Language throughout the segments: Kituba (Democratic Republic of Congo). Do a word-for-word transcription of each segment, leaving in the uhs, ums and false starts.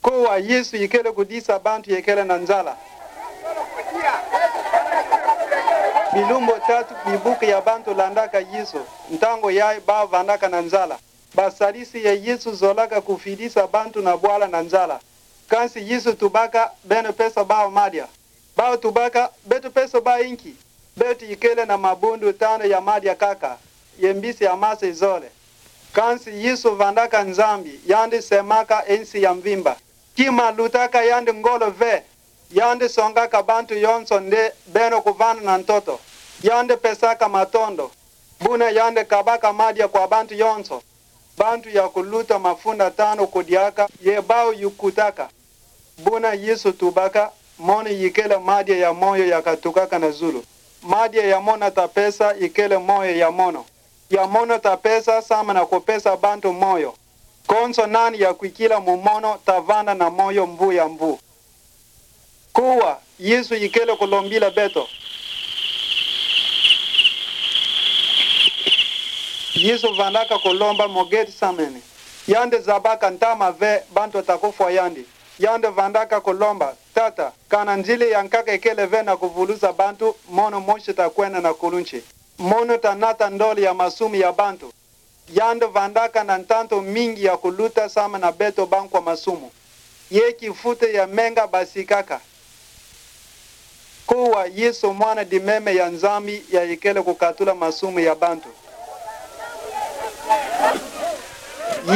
Kuwa Yesu ikele kudisa bantu yekele na nzala. Bilumbu tatu bibuki ya bantu landaka Yesu, ntangu yayi bawu vandaka na nzala. Basalisi ya Yesu zolaka kufidisa bantu na bwala na nzala. Kansi Yesu tubaka beno pesa bawu madia. Bawu tubaka, beto peso bawu inki? Beto ikele na mabundu tanu ya madia kaka, ye mbisi amase zole. Kansi Yesu vandaka Nzambi, yandi semaka nsi ya mvimba. Kima lutaka yandi ngolo ve, yandi songaka bantu yonso nde beno kuvanda na ntoto. Yandi pesaka matondo, buna yandi kabaka madia kwa bantu yonso. Bantu ya kuluta mafunda tanu kudiaka, ye bawu yukutaka. Buna Yesu tubaka, mono ikele madia ya moyo ya katukaka na zulu. Madia ya mono ta pesa ikele moyo ya mono. Ya mono ta pesa samu na kupesa bantu moyo. Konso nani ya kwikila mu mono ta vanda na moyo mvu ya mvu. Kuwa Yesu ikele kulombila beto. Yesu vandaka kulomba mu Gethsemane. Yandi zabaka ntama ve bantu ta kufwa yandi. Yandi vandaka kulomba, Tata, kana nzile ya nkaka ikele ve na kuvuluza bantu, mono mosi ta kwenda na kulunsi. Mono ta nata ndole ya masumu ya bantu. Yandi vandaka na ntantu mingi ya kuluta samu na beto bankwa masumu. Ye kifuta ya menga basikaka. Kuwa Yesu mwana dimeme ya Nzambi ya ikele kukatula masumu ya bantu.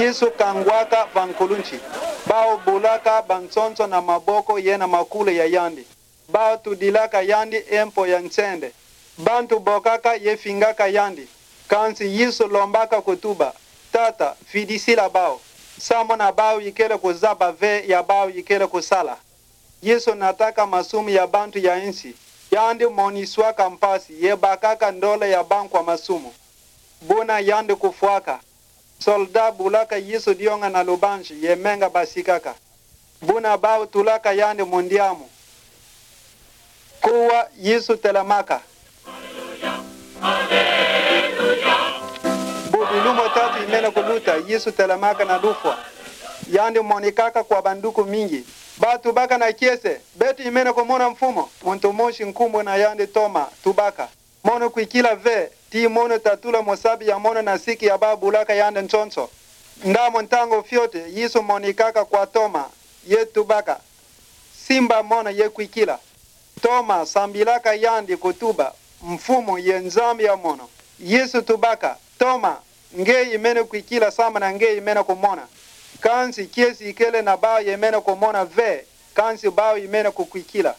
Yesu kangwaka va nkulunsi. Bawu bulaka bansonso na maboko ye na makulu ya yandi. Bawu tudilaka yandi empo ya nsende. Bantu bokaka ye fingaka yandi. Kansi Yesu lombaka kutuba, Tata, fidisila bawu, samu na bawu ikele kuzaba ve ya bawu ikele kusala. Yesu nataka masumu ya bantu ya nsi. Yandi moniswaka mpasi ye bakaka ndole ya bankwa masumu. Buna yandi kufwaka. Soldado bulaka Yesu dionga na lubansi ye menga basikaka. Buna bawu tulaka yandi mu ndiamu. Kuwa Yesu telamaka. Bu bilumbu tatu imene kuluta, Yesu telamaka na lufwa. Yandi monikaka kwa banduku mingi. Bawu tubaka na kiese, Beto imene kumona Mfumu? Muntu mosi nkumbu na yandi Toma tubaka, Mono kwikila ve, ti mono tatula musabi ya mono na siki ya bawu bulaka yandi nsonso. Ndamu ntangu fiote, Yesu monikaka kwa Toma, ye tubaka, Simba mono ye kwikila. Toma sambilaka yandi kutuba, Mfumu ye Nzambi ya mono. Yesu tubaka, Toma, nge imene kwikila samu na nge imene kumona. Kansi kiese ikele na bawu yemene kumona ve, kansi bawu imene kukwikila.